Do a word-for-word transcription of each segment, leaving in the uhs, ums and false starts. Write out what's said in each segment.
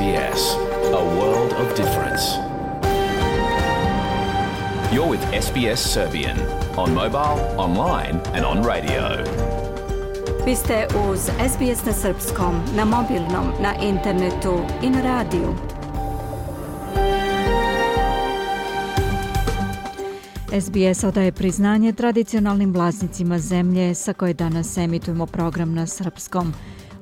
B S, a world of difference. You're with S B S Serbian on mobile, online and on radio. Vi ste uz S B S na srpskom, na mobilnom, na internetu i na radiju. S B S odaje priznanje tradicionalnim vlasnicima zemlje sa koje danas emitujemo program na srpskom.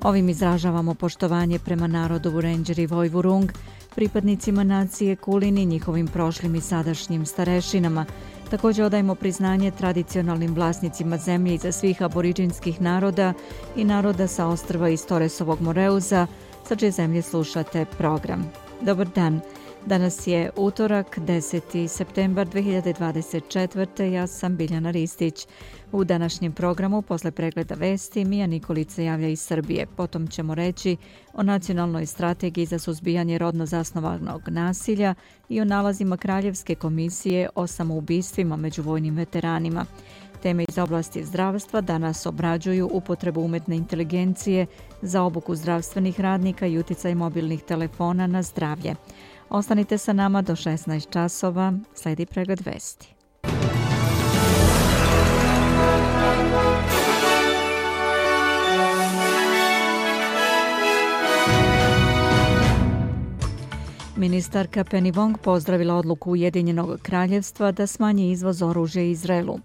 Ovim izražavamo poštovanje prema narodu Vurenđer i Vojvurung, pripadnicima nacije Kulin i njihovim prošlim i sadašnjim starešinama. Također odajemo priznanje tradicionalnim vlasnicima zemlje iza svih aboriđinskih naroda i naroda sa ostrva iz Toresovog Moreuza, sa čije zemlje slušate program. Dobar dan. Danas je utorak, deseti septembar dve hiljade dvadeset četvrte. Ja sam Biljana Ristić. U današnjem programu, posle pregleda vesti, Mija Nikolić se javlja iz Srbije. Potom ćemo reći o nacionalnoj strategiji za suzbijanje rodno zasnovanog nasilja i o nalazima Kraljevske komisije o samoubistvima među vojnim veteranima. Teme iz oblasti zdravstva danas obrađuju upotrebu umjetne inteligencije za obuku zdravstvenih radnika i uticaj mobilnih telefona na zdravlje. Ostanite sa nama do šesnaest časova, sledi pregled vesti. Ministarka Penny Wong pozdravila odluku Ujedinjenog kraljevstva da smanji izvoz oružja Izraelu.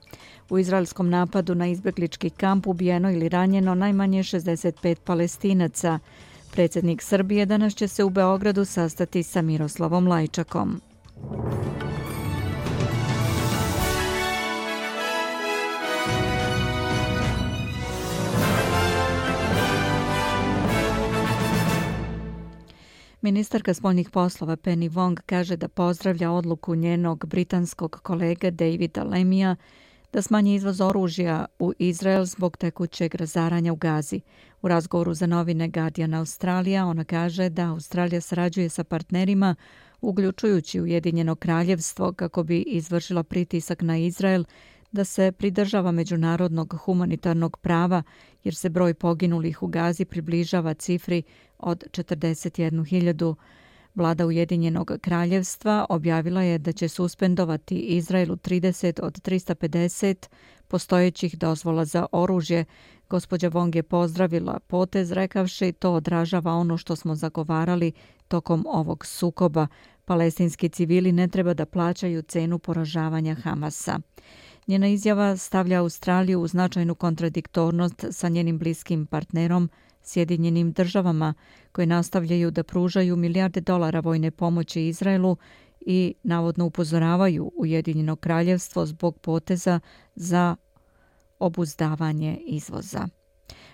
U izraelskom napadu na izbeglički kamp ubijeno ili ranjeno najmanje šezdeset pet Palestinaca. Predsjednik Srbije danas će se u Beogradu sastati sa Miroslavom Lajčakom. Ministarka spoljnih poslova Penny Wong kaže da pozdravlja odluku njenog britanskog kolege Davida Lemija da smanji izvoz oružja u Izrael zbog tekućeg razaranja u Gazi. U razgovoru za novine Guardian Australija ona kaže da Australija sarađuje sa partnerima, uključujući Ujedinjeno kraljevstvo, kako bi izvršila pritisak na Izrael da se pridržava međunarodnog humanitarnog prava, jer se broj poginulih u Gazi približava cifri od četrdeset jednu hiljadu. Vlada Ujedinjenog kraljevstva objavila je da će suspendovati Izraelu trideset od trista pedeset postojećih dozvola za oružje. Gospođa Wong je pozdravila potez rekavši to odražava ono što smo zagovarali tokom ovog sukoba. Palestinski civili ne treba da plaćaju cenu poražavanja Hamasa. Njena izjava stavlja Australiju u značajnu kontradiktornost sa njenim bliskim partnerom Sjedinjenim državama, koje nastavljaju da pružaju milijarde dolara vojne pomoći Izraelu i navodno upozoravaju Ujedinjeno kraljevstvo zbog poteza za obuzdavanje izvoza.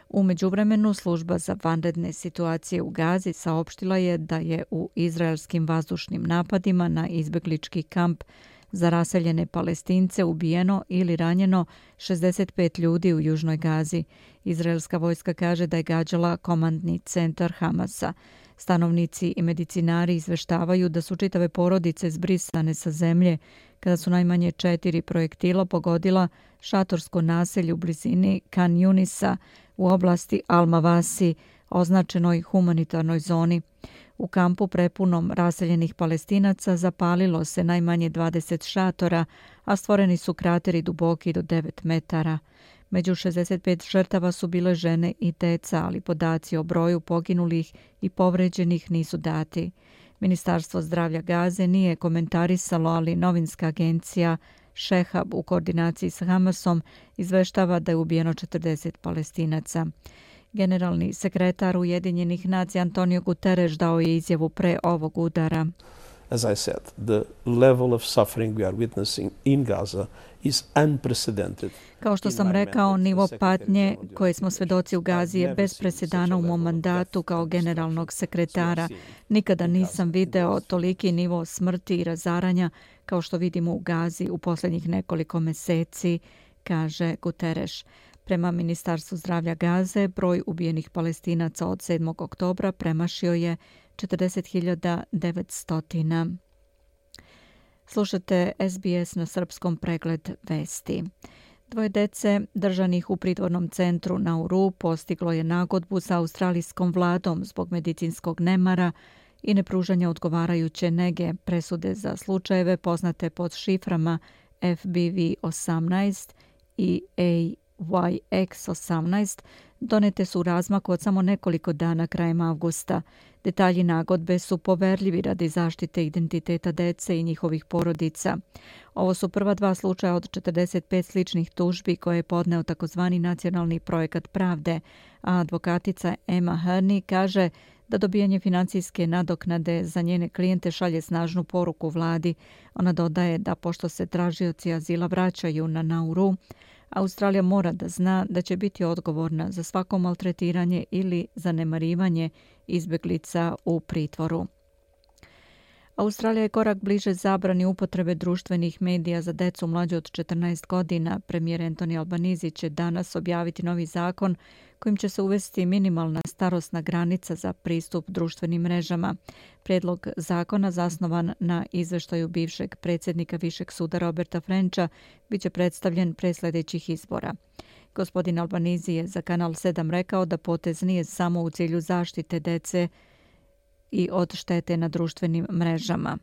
U međuvremenu služba za vanredne situacije u Gazi saopštila je da je u izraelskim vazdušnim napadima na izbeglički kamp za raseljene Palestince ubijeno ili ranjeno šezdeset pet ljudi u južnoj Gazi. Izraelska vojska kaže da je gađala komandni centar Hamasa. Stanovnici i medicinari izveštavaju da su čitave porodice zbrisane sa zemlje kada su najmanje četiri projektila pogodila šatorsko naselje u blizini Khan Yunisa u oblasti Al-Mawasi, označenoj humanitarnoj zoni. U kampu prepunom raseljenih Palestinaca zapalilo se najmanje dvadeset šatora, a stvoreni su krateri duboki do devet metara. Među šezdeset pet žrtava su bile žene i deca, ali podaci o broju poginulih i povređenih nisu dati. Ministarstvo zdravlja Gaze nije komentarisalo, ali novinska agencija Šehab u koordinaciji s Hamasom izveštava da je ubijeno četrdeset Palestinaca. Generalni sekretar Ujedinjenih nacija Antonio Guterres dao je izjavu pre ovog udara. As I said, the level of suffering we are witnessing in Gaza is unprecedented. Kao što sam rekao, nivo patnje koje smo svedoci u Gazi je bez presedana u mom mandatu kao generalnog sekretara. Nikada nisam video toliki nivo smrti i razaranja kao što vidimo u Gazi u posljednjih nekoliko meseci, kaže Guterres. Prema Ministarstvu zdravlja Gaze, broj ubijenih Palestinaca od sedmog oktobra premašio je četrdeset hiljada devetsto. Slušate S B S na srpskom pregled vesti. Dvoje dece držanih u pritvornom centru Nauru postiglo je nagodbu sa australijskom vladom zbog medicinskog nemara i nepružanja odgovarajuće nege. Presude za slučajeve poznate pod šiframa F B V osamnaest i A Y X osamnaest donete su u razmaku od samo nekoliko dana krajem avgusta. Detalji nagodbe su poverljivi radi zaštite identiteta dece i njihovih porodica. Ovo su prva dva slučaja od četrdeset pet sličnih tužbi koje je podneo takozvani nacionalni projekat pravde, a advokatica Emma Herney kaže da dobijanje financijske nadoknade za njene klijente šalje snažnu poruku vladi. Ona dodaje da pošto se tražioci azila vraćaju na Nauru, Australija mora da zna da će biti odgovorna za svako maltretiranje ili zanemarivanje izbjeglica u pritvoru. Australija je korak bliže zabrani upotrebe društvenih medija za decu mlađe od četrnaest godina. Premijer Anthony Albanese će danas objaviti novi zakon kojim će se uvesti minimalna starosna granica za pristup društvenim mrežama. Prijedlog zakona, zasnovan na izveštaju bivšeg predsjednika Višeg suda Roberta Frencha, bit će predstavljen pre sljedećih izbora. Gospodin Albanese je za Kanal sedam rekao da potez nije samo u cilju zaštite dece i od štete na društvenim mrežama.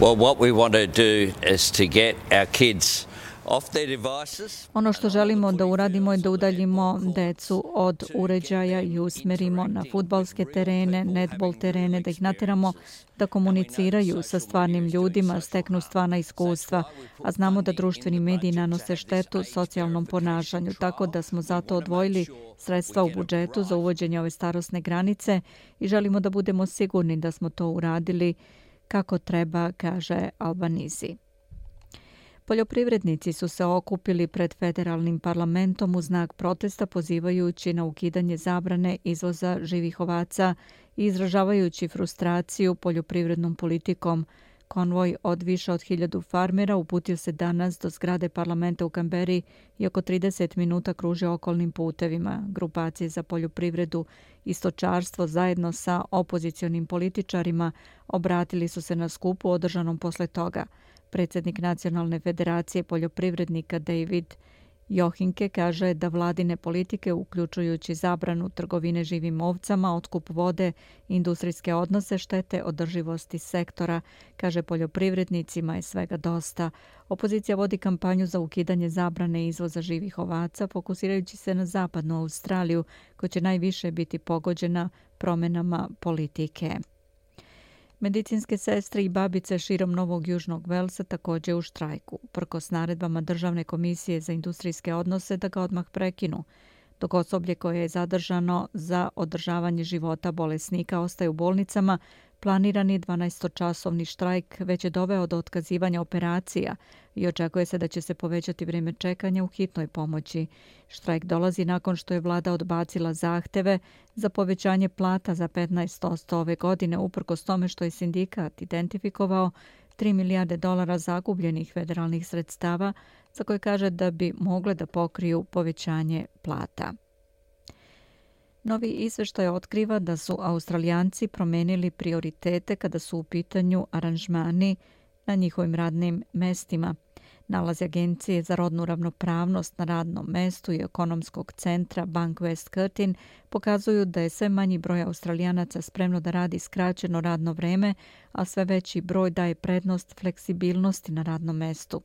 Well, what we want to do is to get our kids off their devices. Ono što želimo da uradimo je da udaljimo decu od uređaja i usmerimo na fudbalske terene, netbol terene, da ih nateramo da komuniciraju sa stvarnim ljudima, steknu stvarna iskustva, a znamo da društveni mediji nanose štetu socijalnom ponašanju, tako da smo zato odvojili sredstva u budžetu za uvođenje ove starosne granice i želimo da budemo sigurni da smo to uradili kako treba, kaže Albanese. Poljoprivrednici su se okupili pred federalnim parlamentom u znak protesta pozivajući na ukidanje zabrane izvoza živih ovaca i izražavajući frustraciju poljoprivrednom politikom. Konvoj od više od hiljadu farmera uputio se danas do zgrade parlamenta u Kamberi i oko trideset minuta kruže okolnim putevima. Grupacije za poljoprivredu i stočarstvo zajedno sa opozicionim političarima obratili su se na skupu održanom posle toga. Predsjednik Nacionalne federacije poljoprivrednika David Johinke kaže da vladine politike, uključujući zabranu trgovine živim ovcama, otkup vode i industrijske odnose, štete održivosti sektora. Kaže, poljoprivrednicima je svega dosta. Opozicija vodi kampanju za ukidanje zabrane izvoza živih ovaca, fokusirajući se na zapadnu Australiju, koja će najviše biti pogođena promjenama politike. Medicinske sestre i babice širom Novog Južnog Velsa također u štrajku, prkos naredbama Državne komisije za industrijske odnose da ga odmah prekinu, dok osoblje koje je zadržano za održavanje života bolesnika ostaje u bolnicama. Planirani dvanaestočasovni štrajk već je doveo do otkazivanja operacija i očekuje se da će se povećati vrijeme čekanja u hitnoj pomoći. Štrajk dolazi nakon što je vlada odbacila zahteve za povećanje plata za petnaest posto ove godine, uprkos tome što je sindikat identifikovao tri milijarde dolara zagubljenih federalnih sredstava za koje kaže da bi mogle da pokriju povećanje plata. Novi izveštaj otkriva da su Australijanci promenili prioritete kada su u pitanju aranžmani na njihovim radnim mestima. Nalazi Agencije za rodnu ravnopravnost na radnom mestu i ekonomskog centra Bank West Curtin pokazuju da je sve manji broj Australijanaca spremno da radi skraćeno radno vreme, a sve veći broj daje prednost fleksibilnosti na radnom mestu.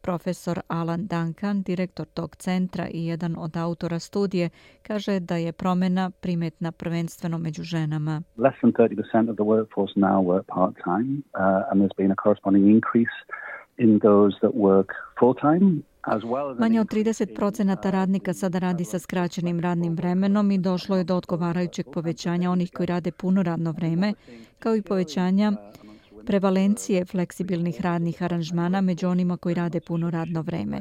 Profesor Alan Duncan, direktor tog centra i jedan od autora studije, kaže da je promjena primetna prvenstveno među ženama. Less than thirty percent of the workforce now work part-time, uh, and there's been a corresponding increase in those that work full-time. Manje od trideset procenata radnika sada radi sa skraćenim radnim vremenom i došlo je do odgovarajućeg povećanja onih koji rade puno radno vreme, kao i povećanja prevalencije fleksibilnih radnih aranžmana među onima koji rade puno radno vreme.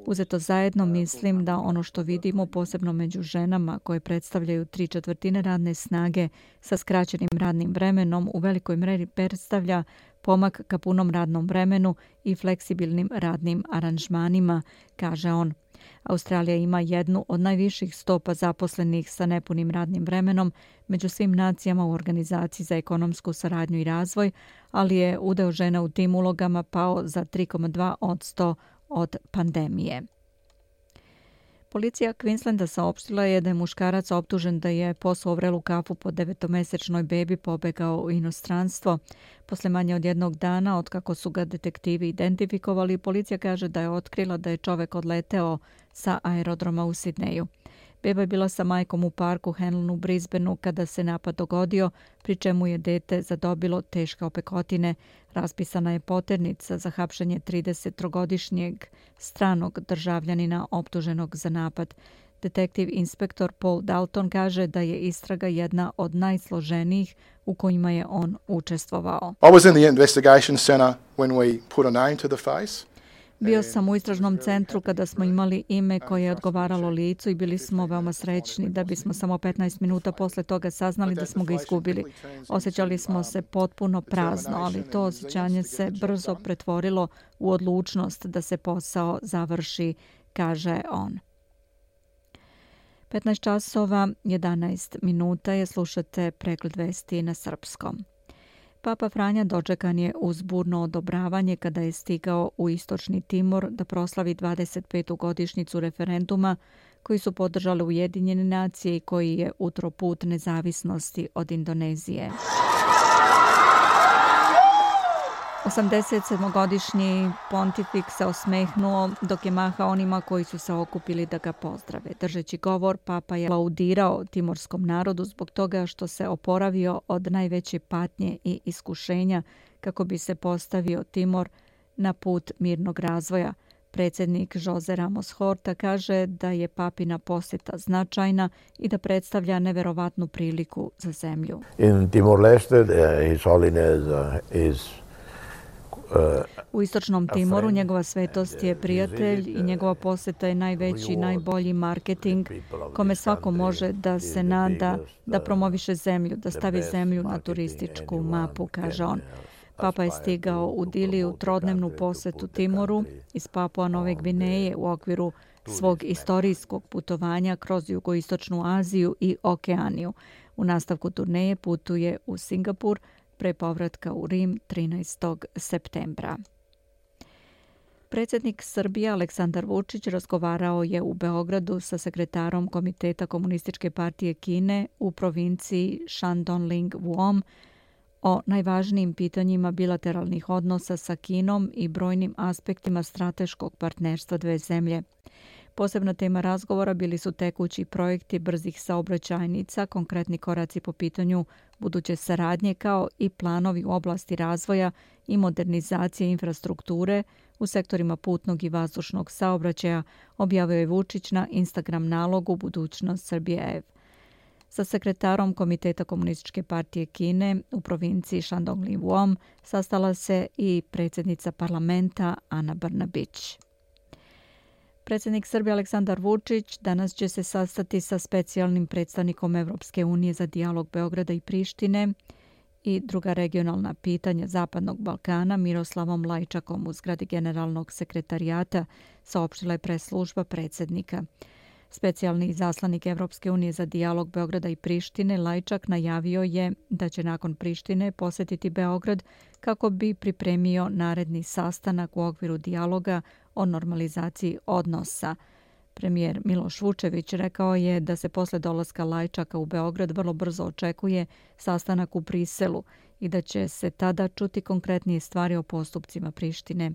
Uzeto zajedno, mislim da ono što vidimo, posebno među ženama koje predstavljaju tri četvrtine radne snage sa skraćenim radnim vremenom, u velikoj mjeri predstavlja pomak ka punom radnom vremenu i fleksibilnim radnim aranžmanima, kaže on. Australija ima jednu od najviših stopa zaposlenih sa nepunim radnim vremenom među svim nacijama u Organizaciji za ekonomsku saradnju i razvoj, ali je udeo žena u tim ulogama pao za tri zarez dva posto od pandemije. Policija Queenslanda saopštila je da je muškarac optužen da je poslao vrelu kafu po devetomesečnoj bebi pobegao u inostranstvo. Posle manje od jednog dana, otkako su ga detektivi identifikovali, policija kaže da je otkrila da je čovek odleteo sa aerodroma u Sidneju. Beba je bila sa majkom u parku Hanlon u Brisbaneu kada se napad dogodio, pri čemu je dete zadobilo teške opekotine. Raspisana je poternica za hapšenje tridesettrogodišnjeg stranog državljanina optuženog za napad. Detektiv inspektor Paul Dalton kaže da je istraga jedna od najsloženijih u kojima je on učestvovao. I was in the investigation center when we put a name to the face. Bio sam u istražnom centru kada smo imali ime koje je odgovaralo licu i bili smo veoma srećni da bismo samo petnaest minuta posle toga saznali da smo ga izgubili. Osjećali smo se potpuno prazno, ali to osjećanje se brzo pretvorilo u odlučnost da se posao završi, kaže on. petnaest časova jedanaest minuta je, slušate pregled vesti na srpskom. Papa Franja dočekan je uz burno odobravanje kada je stigao u Istočni Timor da proslavi dvadeset petu godišnjicu referenduma koji su podržale Ujedinjene nacije i koji je utro put nezavisnosti od Indonezije. osamdesetsedmogodišnji pontifik se osmehnuo dok je mahao onima koji su se okupili da ga pozdrave. Držeći govor, papa je laudirao timorskom narodu zbog toga što se oporavio od najveće patnje i iskušenja kako bi se postavio Timor na put mirnog razvoja. Predsjednik Jose Ramos Horta kaže da je papina posjeta značajna i da predstavlja neverovatnu priliku za zemlju. In Timor-Leste, His Holiness is U Istočnom Timoru njegova svetost je prijatelj i njegova posjeta je najveći i najbolji marketing kome svako može da se nada da promoviše zemlju, da stavi zemlju na turističku mapu, kaže on. Papa je stigao u Dili u trodnevnu posjetu Timoru iz Papua Nove Gvineje u okviru svog istorijskog putovanja kroz jugoistočnu Aziju i Okeaniju. U nastavku turneje putuje u Singapur, pre povratka u Rim trinaestog septembra. Predsjednik Srbije Aleksandar Vučić razgovarao je u Beogradu sa sekretarom Komiteta Komunističke partije Kine u provinciji Shandong Vuom o najvažnijim pitanjima bilateralnih odnosa sa Kinom i brojnim aspektima strateškog partnerstva dve zemlje. Posebna tema razgovora bili su tekući projekti brzih saobraćajnica, konkretni koraci po pitanju buduće saradnje kao i planovi u oblasti razvoja i modernizacije infrastrukture u sektorima putnog i vazdušnog saobraćaja, objavio je Vučić na Instagram nalogu Budućnost Srbije. Sa sekretarom Komiteta Komunističke partije Kine u provinciji Shandong Vuom sastala se i predsjednica parlamenta Ana Brnabić. Predsjednik Srbije Aleksandar Vučić danas će se sastati sa specijalnim predstavnikom Evropske unije za dijalog Beograda i Prištine i druga regionalna pitanja Zapadnog Balkana Miroslavom Lajčakom u zgradi Generalnog sekretarijata, saopštila je press-služba predsjednika. Specijalni izaslanik Evropske unije za dijalog Beograda i Prištine Lajčak najavio je da će nakon Prištine posjetiti Beograd kako bi pripremio naredni sastanak u okviru dijaloga o normalizaciji odnosa. Premijer Miloš Vučević rekao je da se posle dolaska Lajčaka u Beograd vrlo brzo očekuje sastanak u Briselu i da će se tada čuti konkretnije stvari o postupcima Prištine.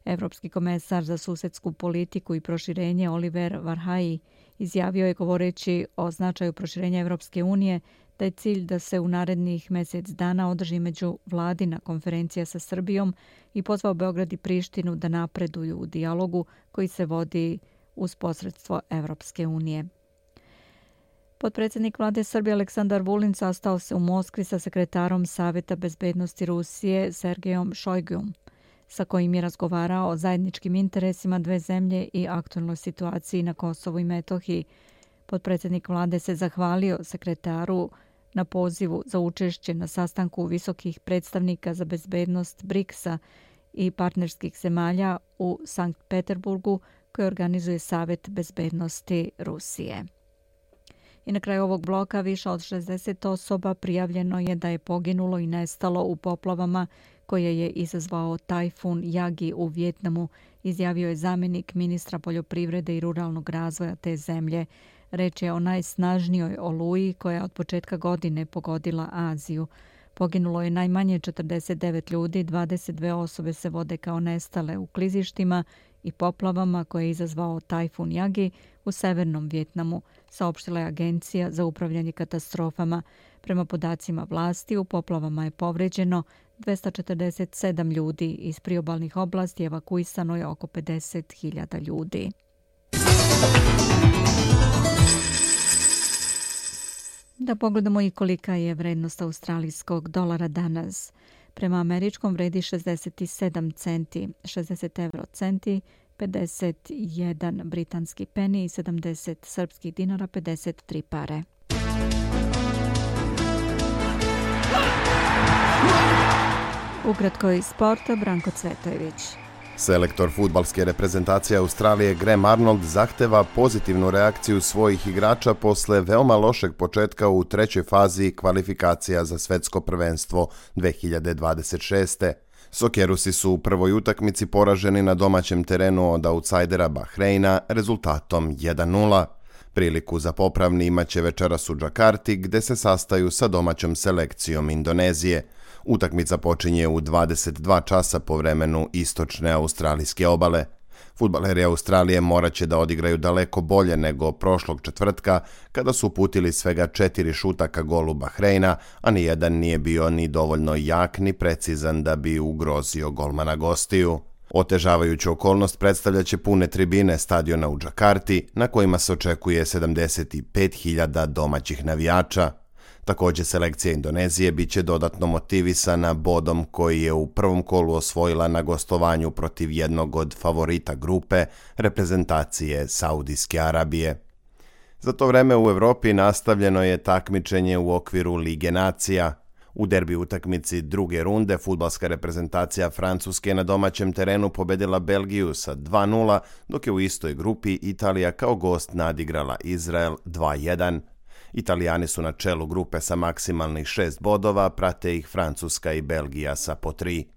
Evropski komesar za susedsku politiku i proširenje Oliver Varhelyi izjavio je govoreći o značaju proširenja Evropske unije da je cilj da se u narednih mjesec dana održi međuvladina konferencija sa Srbijom i pozvao Beograd i Prištinu da napreduju u dijalogu koji se vodi uz posredstvo Evropske unije. Potpredsjednik vlade Srbije Aleksandar Vulin sastao se u Moskvi sa sekretarom Saveta bezbednosti Rusije Sergejom Šojgujom, sa kojim je razgovarao o zajedničkim interesima dve zemlje i aktualnoj situaciji na Kosovu i Metohiji. Potpredsjednik vlade se zahvalio sekretaru na pozivu za učešće na sastanku visokih predstavnika za bezbednost briksa i partnerskih zemalja u Sankt Peterburgu koji organizuje Savet bezbednosti Rusije. I na kraju ovog bloka više od šezdeset osoba prijavljeno je da je poginulo i nestalo u poplavama koje je izazvao tajfun Yagi u Vijetnamu, izjavio je zamjenik ministra poljoprivrede i ruralnog razvoja te zemlje. Reč je o najsnažnijoj oluji koja je od početka godine pogodila Aziju. Poginulo je najmanje četrdeset devet ljudi, dvadeset dve osobe se vode kao nestale u klizištima i poplavama koje je izazvao tajfun Yagi u severnom Vijetnamu, saopštila je Agencija za upravljanje katastrofama. Prema podacima vlasti, u poplavama je povređeno dvesta četrdeset sedam ljudi. Iz priobalnih oblasti evakuisano je oko pedeset hiljada ljudi. Da pogledamo i kolika je vrednost australijskog dolara danas. Prema američkom vredi šezdeset sedam centi, šezdeset euro centi, pedeset jedan britanski peni i sedamdeset srpskih dinara, pedeset tri pare. Ukratko iz sporta, Branko Cvetojević. Selektor fudbalske reprezentacije Australije Graham Arnold zahteva pozitivnu reakciju svojih igrača posle veoma lošeg početka u trećoj fazi kvalifikacija za svetsko prvenstvo dve hiljade dvadeset šeste. Sokerusi su u prvoj utakmici poraženi na domaćem terenu od autsajdera Bahreina rezultatom jedan nula. Priliku za popravni imaće večeras u Džakarti, gde se sastaju sa domaćom selekcijom Indonezije. Utakmica počinje u dvadeset dva časa po vremenu istočne australijske obale. Fudbaleri Australije morat će da odigraju daleko bolje nego prošlog četvrtka, kada su uputili svega četiri šuta ka golu Bahreina, a nijedan nije bio ni dovoljno jak ni precizan da bi ugrozio golmana gostiju. Otežavajuću okolnost predstavljaće pune tribine stadiona u Džakarti, na kojima se očekuje sedamdeset pet hiljada domaćih navijača. Također, selekcija Indonezije biće dodatno motivisana bodom koji je u prvom kolu osvojila na gostovanju protiv jednog od favorita grupe, reprezentacije Saudijske Arabije. Za to vreme u Evropi nastavljeno je takmičenje u okviru Lige nacija. U derbi utakmici druge runde fudbalska reprezentacija Francuske na domaćem terenu pobedila Belgiju sa dva nula, dok je u istoj grupi Italija kao gost nadigrala Izrael dva jedan. Italijani su na čelu grupe sa maksimalnih šest bodova, prate ih Francuska i Belgija sa po tri.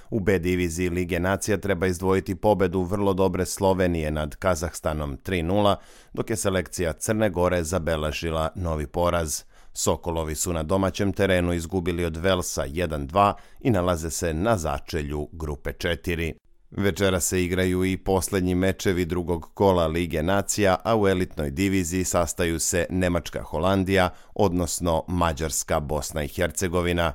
U B diviziji Lige nacija treba izdvojiti pobedu vrlo dobre Slovenije nad Kazahstanom tri nula, dok je selekcija Crne Gore zabeležila novi poraz. Sokolovi su na domaćem terenu izgubili od Velsa jedan dva i nalaze se na začelju grupe četiri. Večera se igraju i posljednji mečevi drugog kola Lige nacija, a u elitnoj diviziji sastaju se Nemačka-Holandija, odnosno Mađarska-Bosna i Hercegovina.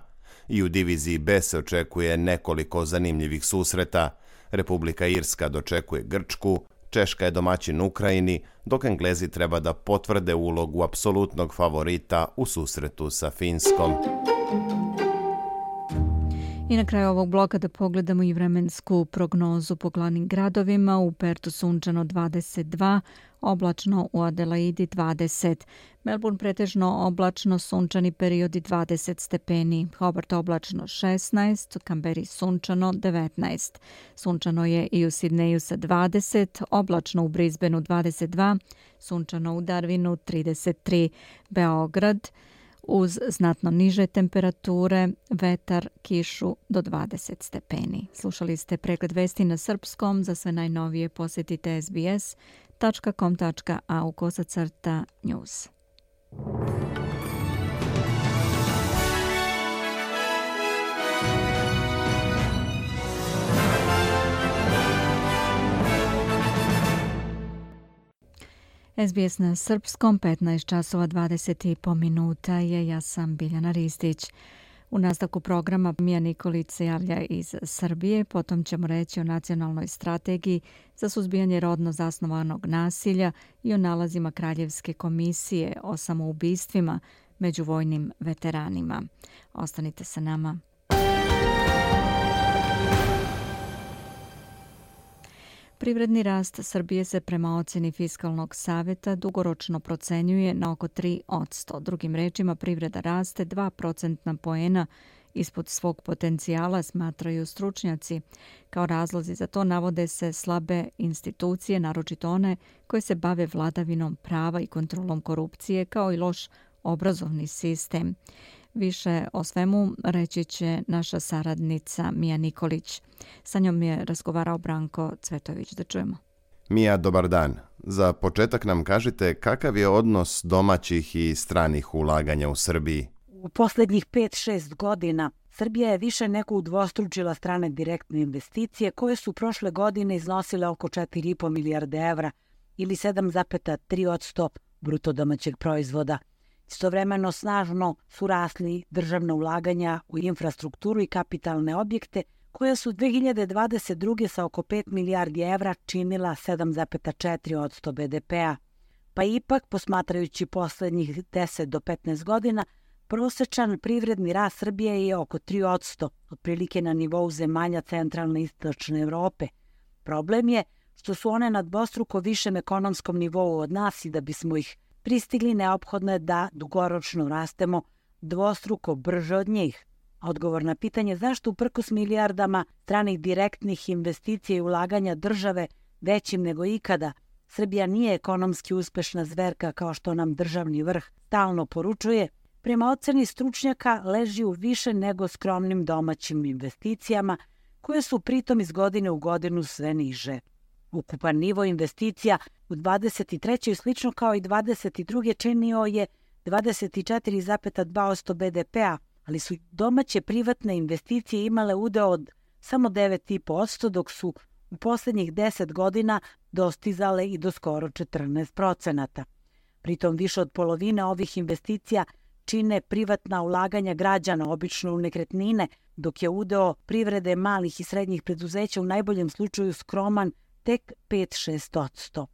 I u diviziji B se očekuje nekoliko zanimljivih susreta. Republika Irska dočekuje Grčku, Češka je domaćin Ukrajini, dok Englezi treba da potvrde ulogu apsolutnog favorita u susretu sa Finskom. I na kraju ovog bloka da pogledamo i vremensku prognozu po glavnim gradovima. U Pertu sunčano dvadeset dva, oblačno u Adelaidi dvadeset. Melbourne pretežno oblačno, sunčani periodi dvadeset stepeni. Hobart oblačno šesnaest, Kamberi sunčano devetnaest. Sunčano je i u Sidneju sa dvadeset, oblačno u Brisbaneu dvadeset dva, sunčano u Darwinu trideset tri. Beograd uz znatno niže temperature, vetar, kišu do dvadeset stepeni. Slušali ste pregled vesti na srpskom. Za sve najnovije posjetite es be es tačka com tačka a u kosacrta news. es be es na srpskom, petnaest časova dvadeset i po minuta je. Ja sam Biljana Ristić. U nastavku programa Mija Nikolić se javlja iz Srbije, potom ćemo reći o nacionalnoj strategiji za suzbijanje rodno zasnovanog nasilja i o nalazima Kraljevske komisije o samoubistvima među vojnim veteranima. Ostanite sa nama. Privredni rast Srbije se prema ocjeni Fiskalnog savjeta dugoročno procenjuje na oko tri posto. Drugim rečima, privreda raste dva procentna poena ispod svog potencijala, smatraju stručnjaci. Kao razlozi za to navode se slabe institucije, naročito one koje se bave vladavinom prava i kontrolom korupcije, kao i loš obrazovni sistem. Više o svemu reći će naša saradnica Mija Nikolić. Sa njom je razgovarao Branko Cvetović. Da čujemo. Mija, dobar dan. Za početak nam kažite kakav je odnos domaćih i stranih ulaganja u Srbiji? U posljednjih pet šest godina Srbija je više nego udvostručila strane direktne investicije koje su prošle godine iznosile oko četiri i po milijarde evra ili sedam zarez tri posto bruto domaćeg proizvoda. Istovremeno snažno su rasli državna ulaganja u infrastrukturu i kapitalne objekte koja su dve hiljade dvadeset druge sa oko pet milijardi evra činila sedam zarez četiri posto be de pea. Pa ipak, posmatrajući poslednjih deset do petnaest godina, prosečan privredni rast Srbije je oko tri posto, otprilike na nivou zemalja centralne i istočne Evrope. Problem je što su one na dvostruko višem ekonomskom nivou od nas i da bismo ih pristigli neophodno je da dugoročno rastemo dvostruko brže od njih. Odgovor na pitanje zašto uprkos milijardama stranih direktnih investicija i ulaganja države većim nego ikada, Srbija nije ekonomski uspešna zverka kao što nam državni vrh stalno poručuje, prema oceni stručnjaka leži u više nego skromnim domaćim investicijama koje su pritom iz godine u godinu sve niže. Ukupan nivo investicija u dvadeset trećoj slično kao i dvadeset druge činio je dvadeset četiri zarez dva posto be de pea, ali su domaće privatne investicije imale udeo od samo devet zarez pet posto, dok su u posljednjih deset godina dostizale i do skoro četrnaest procenata. Pritom više od polovine ovih investicija čine privatna ulaganja građana, obično u nekretnine, dok je udeo privrede malih i srednjih preduzeća u najboljem slučaju skroman tek pet do šest posto.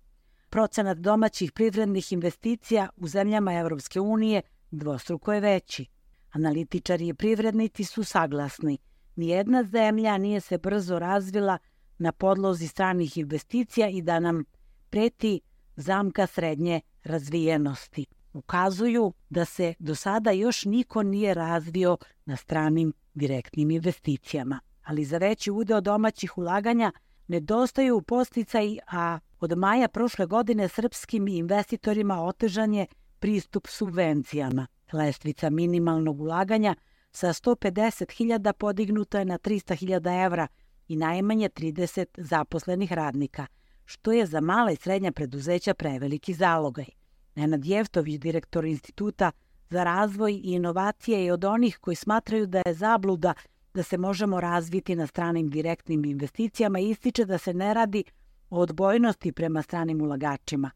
Procenat domaćih privrednih investicija u zemljama Evropske unije dvostruko je veći. Analitičari i privrednici su saglasni. Nijedna zemlja nije se brzo razvila na podlozi stranih investicija i da nam preti zamka srednje razvijenosti. Ukazuju da se do sada još niko nije razvio na stranim direktnim investicijama. Ali za veći udeo domaćih ulaganja nedostaju podsticaji, a od maja prošle godine srpskim investitorima otežan je pristup subvencijama. Lestvica minimalnog ulaganja sa sto pedeset hiljada podignuta je na trista hiljada evra i najmanje trideset zaposlenih radnika, što je za mala i srednja preduzeća preveliki zalogaj. Nenad Jeftović, direktor Instituta za razvoj i inovacije, je od onih koji smatraju da je zabluda da se možemo razviti na stranim direktnim investicijama i ističe da se ne radi o odbojnosti prema stranim ulagačima,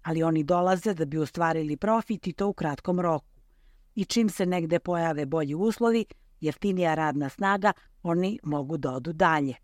ali oni dolaze da bi ostvarili profit i to u kratkom roku. I čim se negde pojave bolji uslovi, jeftinija radna snaga, oni mogu da odu dalje.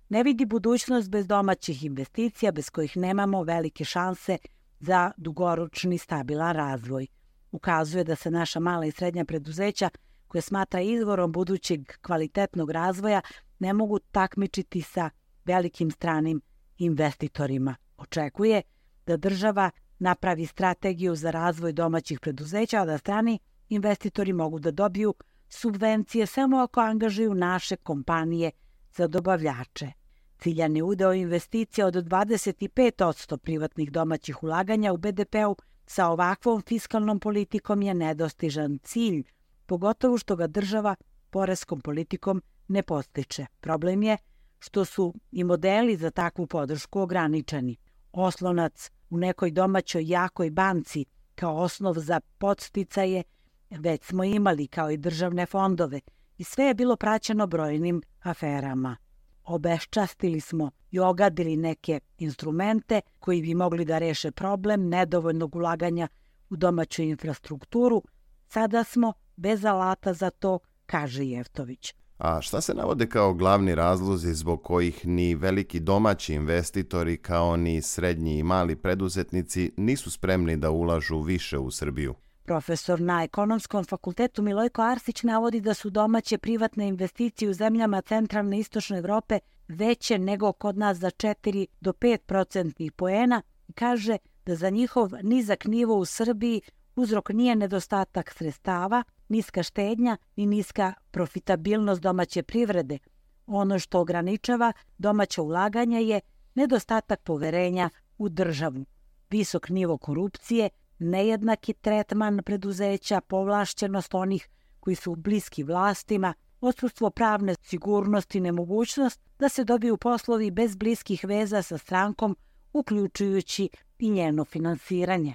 Ne vidi budućnost bez domaćih investicija, bez kojih nemamo velike šanse za dugoročni stabilan razvoj. Ukazuje da se naša mala i srednja preduzeća, koje smatra izvorom budućeg kvalitetnog razvoja, ne mogu takmičiti sa velikim stranim investitorima. Očekuje da država napravi strategiju za razvoj domaćih preduzeća, a da strani investitori mogu da dobiju subvencije samo ako angažuju naše kompanije za dobavljače. Ciljani udeo investicija od dvadeset pet posto privatnih domaćih ulaganja u be de peu sa ovakvom fiskalnom politikom je nedostižan cilj, pogotovo što ga država poreskom politikom ne postiče. Problem je što su i modeli za takvu podršku ograničeni. Oslonac u nekoj domaćoj jakoj banci kao osnov za podsticaje već smo imali, kao i državne fondove, i sve je bilo praćeno brojnim aferama. Obeščastili smo i ogadili neke instrumente koji bi mogli da reše problem nedovoljnog ulaganja u domaću infrastrukturu. Sada smo bez alata za to, kaže Jeftović. A šta se navode kao glavni razlozi zbog kojih ni veliki domaći investitori kao ni srednji i mali preduzetnici nisu spremni da ulažu više u Srbiju? Profesor na Ekonomskom fakultetu Milojko Arsić navodi da su domaće privatne investicije u zemljama centralne i istočne Evrope veće nego kod nas za četiri do pet procentnih poena i kaže da za njihov nizak nivo u Srbiji uzrok nije nedostatak sredstava, niska štednja i niska profitabilnost domaće privrede. Ono što ograničava domaće ulaganja je nedostatak poverenja u državu, visok nivo korupcije, nejednaki tretman preduzeća, povlašćenost onih koji su bliski vlastima, odsustvo pravne sigurnosti, nemogućnost da se dobiju poslovi bez bliskih veza sa strankom, uključujući i njeno finansiranje.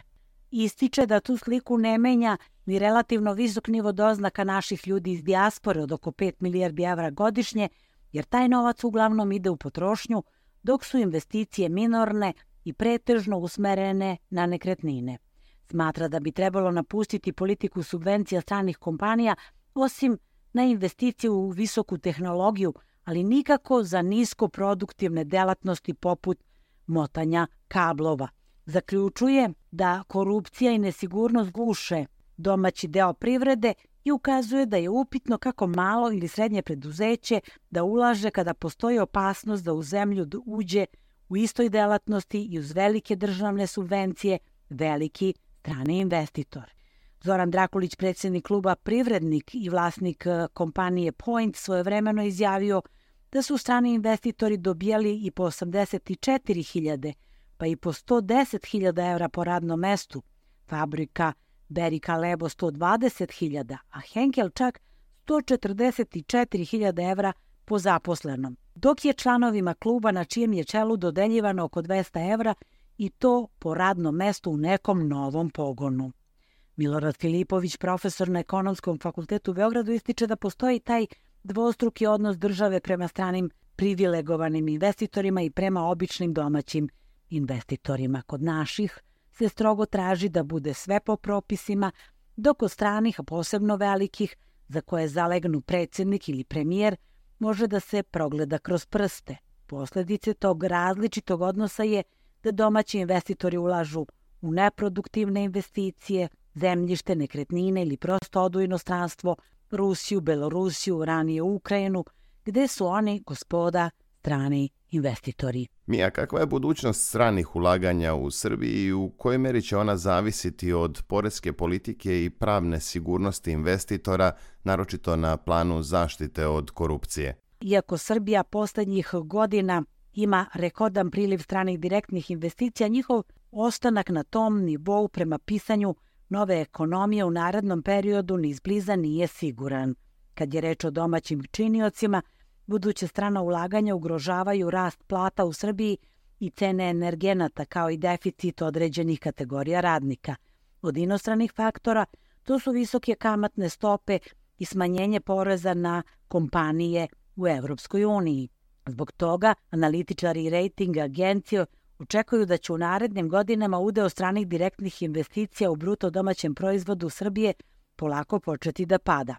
Ističe da tu sliku ne menja ni relativno visok nivo doznaka naših ljudi iz dijaspore od oko pet milijardi evra godišnje, jer taj novac uglavnom ide u potrošnju, dok su investicije minorne i pretežno usmerene na nekretnine. Smatra da bi trebalo napustiti politiku subvencija stranih kompanija, osim na investiciju u visoku tehnologiju, ali nikako za nisko produktivne delatnosti poput motanja kablova. Zaključuje da korupcija i nesigurnost guše domaći deo privrede i ukazuje da je upitno kako malo ili srednje preduzeće da ulaže kada postoji opasnost da u zemlju uđe u istoj delatnosti i uz velike državne subvencije veliki strani investitor. Zoran Drakulić, predsjednik kluba Privrednik i vlasnik kompanije Point, svojevremeno izjavio da su strani investitori dobijali i po osamdeset četiri hiljade, pa i po sto deset hiljada evra po radnom mestu, fabrika Berika Lebo sto dvadeset hiljada, a Henkel čak sto četrdeset četiri hiljade evra po zaposlenom, dok je članovima kluba na čijem je čelu dodeljivano oko dvesta evra i to po radnom mestu u nekom novom pogonu. Milorad Filipović, profesor na Ekonomskom fakultetu u Beogradu, ističe da postoji taj dvostruki odnos države prema stranim privilegovanim investitorima i prema običnim domaćim investitorima. Kod naših se strogo traži da bude sve po propisima, dok od stranih, a posebno velikih, za koje zalegnu predsjednik ili premijer, može da se progleda kroz prste. Posljedice tog različitog odnosa je da domaći investitori ulažu u neproduktivne investicije, zemljište, nekretnine ili prosto odu u inostranstvo, Rusiju, Belorusiju, ranije Ukrajinu, gde su oni gospoda strani investitori. Mija, kakva je budućnost stranih ulaganja u Srbiji i u kojoj meri će ona zavisiti od poreske politike i pravne sigurnosti investitora, naročito na planu zaštite od korupcije? Iako Srbija posljednjih godina ima rekordan priliv stranih direktnih investicija, njihov ostanak na tom nivou prema pisanju nove ekonomije u narednom periodu ni izbliza nije siguran. Kad je reč o domaćim činiocima, buduće strana ulaganja ugrožavaju rast plata u Srbiji i cene energenata, kao i deficit određenih kategorija radnika. Od inostranih faktora to su visoke kamatne stope i smanjenje poreza na kompanije u Evropskoj uniji. Zbog toga analitičari i rating agencije očekuju da će u narednim godinama udeo stranih direktnih investicija u bruto domaćem proizvodu Srbije polako početi da pada.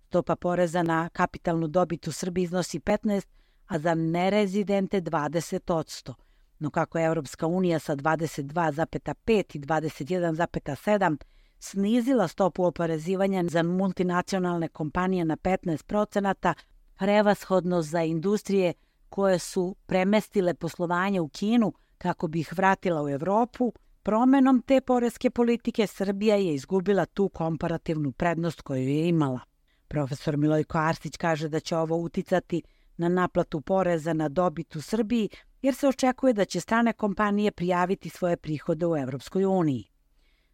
Stopa poreza na kapitalnu dobit u Srbiji iznosi petnaest, a za nerezidente dvadeset posto. No kako je Evropska unija sa dvadeset dva zarez pet i dvadeset jedan zarez sedam snizila stopu oporezivanja za multinacionalne kompanije na petnaest procenata, prevashodno za industrije koje su premestile poslovanje u Kinu kako bi ih vratila u Evropu, promenom te poreske politike Srbija je izgubila tu komparativnu prednost koju je imala. Profesor Milojko Arsić kaže da će ovo uticati na naplatu poreza na dobit u Srbiji, jer se očekuje da će strane kompanije prijaviti svoje prihode u Evropskoj uniji.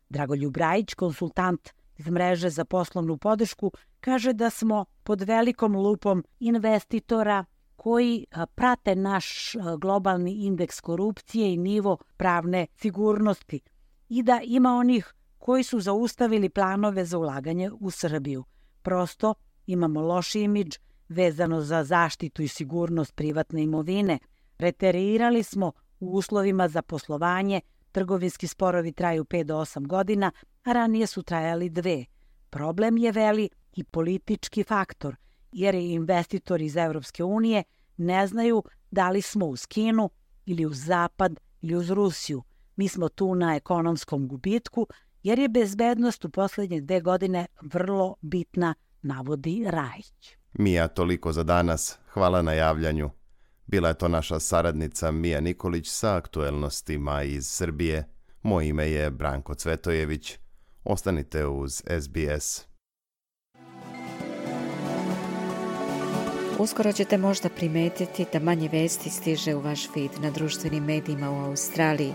Dragoljub Rajić, konsultant iz mreže za poslovnu podršku, kaže da smo pod velikom lupom investitora koji prate naš globalni indeks korupcije i nivo pravne sigurnosti i da ima onih koji su zaustavili planove za ulaganje u Srbiju. Prosto imamo loš imidž vezano za zaštitu i sigurnost privatne imovine. Reterirali smo u uslovima za poslovanje, trgovinski sporovi traju pet do osam godina, a ranije su trajali dve. Problem je veli i politički faktor, jer investitori iz Evropske unije ne znaju da li smo uz Kinu ili uz Zapad ili uz Rusiju. Mi smo tu na ekonomskom gubitku, jer je bezbednost u posljednje dve godine vrlo bitna, navodi Rajić. Mija, toliko za danas. Hvala na javljanju. Bila je to naša saradnica Mija Nikolić sa aktuelnostima iz Srbije. Moje ime je Branko Cvetojević. Ostanite uz S B S. Uskoro ćete možda primetiti da manje vesti stiže u vaš feed na društvenim medijima u Australiji.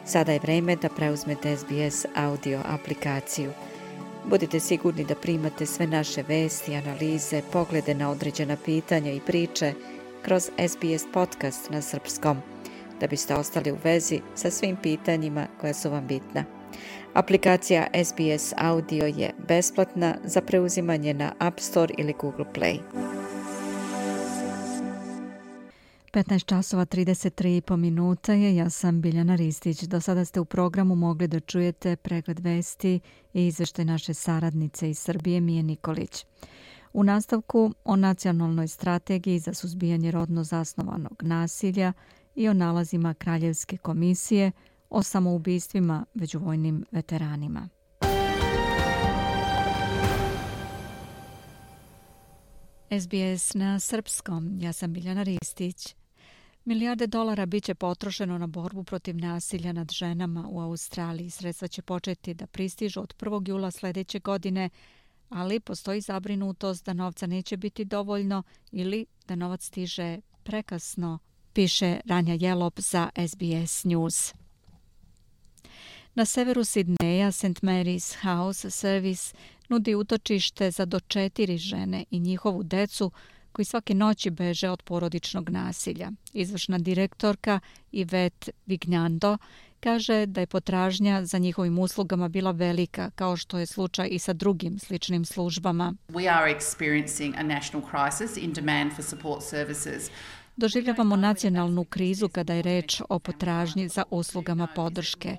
Sada je vreme da preuzmete S B S audio aplikaciju. Budite sigurni da primate sve naše vesti, analize, poglede na određena pitanja i priče kroz S B S podcast na srpskom, da biste ostali u vezi sa svim pitanjima koja su vam bitna. Aplikacija S B S Audio je besplatna za preuzimanje na App Store ili Google Play. petnaest časova trideset tri i po minuta je, ja sam Biljana Ristić. Do sada ste u programu mogli da čujete pregled vesti i izveštaj naše saradnice iz Srbije Mije Nikolić. U nastavku o nacionalnoj strategiji za suzbijanje rodno zasnovanog nasilja i o nalazima Kraljevske komisije o samoubistvima među vojnim veteranima. S B S na srpskom, ja sam Biljana Ristić. Milijarde dolara biće potrošeno na borbu protiv nasilja nad ženama u Australiji. Sredstva će početi da pristižu od prvog jula sljedeće godine, ali postoji zabrinutost da novca neće biti dovoljno ili da novac stiže prekasno, piše Ranja Jelop za S B S News. Na severu Sidneja Saint Mary's House Service nudi utočište za do četiri žene i njihovu decu koji svake noći beže od porodičnog nasilja. Izvršna direktorka Yvette Vignando kaže da je potražnja za njihovim uslugama bila velika, kao što je slučaj i sa drugim sličnim službama. We are experiencing a national crisis in demand for support services. Doživljavamo nacionalnu krizu kada je reč o potražnji za uslugama podrške.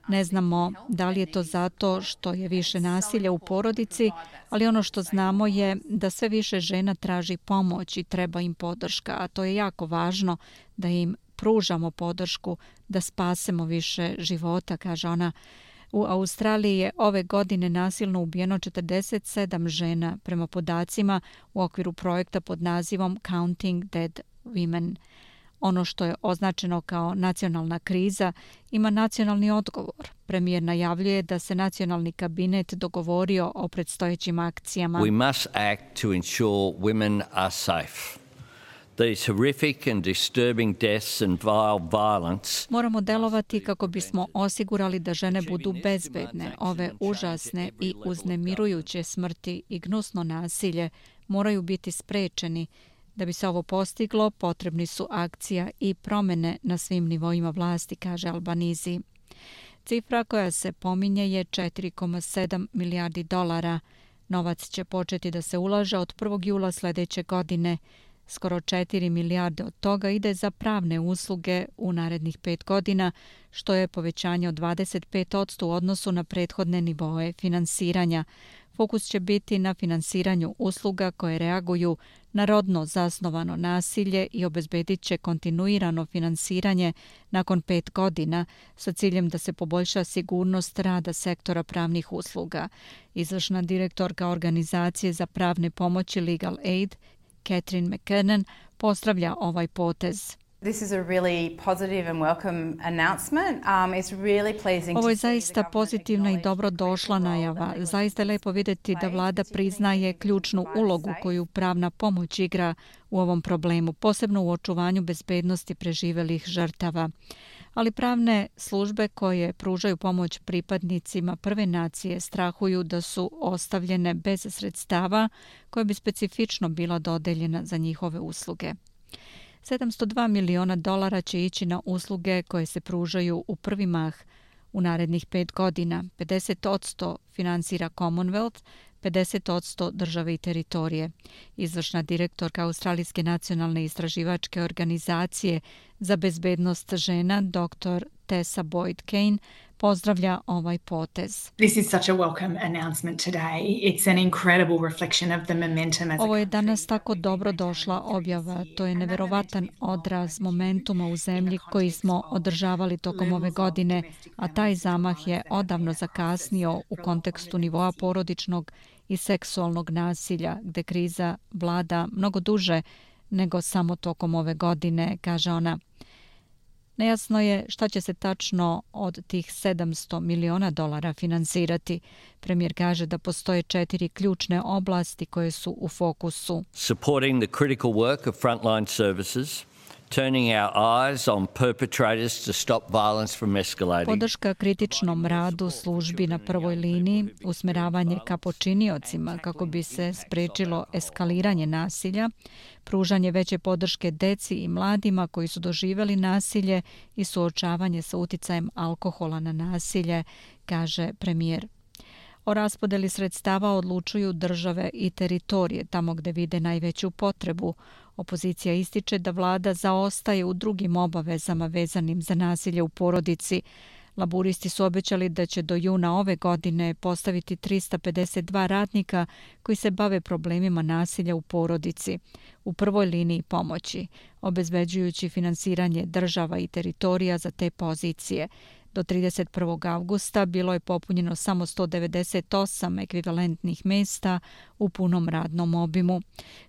Ne znamo da li je to zato što je više nasilja u porodici, ali ono što znamo je da sve više žena traži pomoć i treba im podrška, a to je jako važno da im pružamo podršku, da spasemo više života, kaže ona. U Australiji je ove godine nasilno ubijeno četrdeset sedam žena prema podacima u okviru projekta pod nazivom Counting Dead Women. Ono što je označeno kao nacionalna kriza ima nacionalni odgovor. Premijer najavljuje da se nacionalni kabinet dogovorio o predstojećim akcijama. We must act to ensure women are safe. These horrific and disturbing deaths and vile violence. Moramo delovati kako bismo osigurali da žene budu bezbedne. Ove užasne i uznemirujuće smrti i gnusno nasilje moraju biti sprečeni. Da bi se ovo postiglo, potrebni su akcija i promjene na svim nivoima vlasti, kaže Albanizi. Cifra koja se pominje je četiri zarez sedam milijardi dolara. Novac će početi da se ulaže od prvog jula sljedeće godine. Skoro četiri milijarde od toga ide za pravne usluge u narednih pet godina, što je povećanje od dvadeset pet posto u odnosu na prethodne nivoe finansiranja. Fokus će biti na finansiranju usluga koje reaguju na rodno zasnovano nasilje i obezbedit će kontinuirano finansiranje nakon pet godina sa ciljem da se poboljša sigurnost rada sektora pravnih usluga. Izvršna direktorka organizacije za pravne pomoći Legal Aid, Catherine McKernan, pozdravlja ovaj potez. This is a really positive and welcome announcement. Um, it's really pleasing. Ovo je zaista pozitivna i dobro došla najava. Zaista je lepo vidjeti da vlada priznaje ključnu ulogu koju pravna pomoć igra u ovom problemu, posebno u očuvanju bezbednosti preživelih žrtava. Ali pravne službe koje pružaju pomoć pripadnicima prve nacije strahuju da su ostavljene bez sredstava koje bi specifično bila dodeljena za njihove usluge. sedamsto dva miliona dolara će ići na usluge koje se pružaju u prvi mah u narednih pet godina. pedeset posto finansira Commonwealth, pedeset posto države i teritorije. Izvršna direktorka Australijske nacionalne istraživačke organizacije za bezbednost žena, doktor Tessa Boyd Kane, pozdravlja ovaj potez. This is such a welcome announcement today. It's an incredible reflection of the momentum as a Ovo je danas tako dobro došla objava. To je neverovatan odraz momentuma u zemlji koji smo održavali tokom ove godine, a taj zamah je odavno zakasnio u kontekstu nivoa porodičnog i seksualnog nasilja, gde kriza vlada mnogo duže nego samo tokom ove godine, kaže ona. Nejasno je šta će se tačno od tih sedamsto miliona dolara finansirati. Premijer kaže da postoje četiri ključne oblasti koje su u fokusu. Supporting the critical work of frontline services turning our eyes on perpetrators to stop violence from escalating. Podrška kritičnom radu službi na prvoj liniji, usmeravanje ka počiniocima kako bi se sprečilo eskaliranje nasilja, pružanje veće podrške deci i mladima koji su doživjeli nasilje i suočavanje sa uticajem alkohola na nasilje, kaže premijer. O raspodeli sredstava odlučuju države i teritorije tamo gdje vide najveću potrebu. Opozicija ističe da vlada zaostaje u drugim obavezama vezanim za nasilje u porodici. Laburisti su obećali da će do juna ove godine postaviti trista pedeset dva radnika koji se bave problemima nasilja u porodici u prvoj liniji pomoći, obezbeđujući finansiranje država i teritorija za te pozicije. Do trideset prvog avgusta bilo je popunjeno samo sto devedeset osam ekvivalentnih mjesta u punom radnom obimu.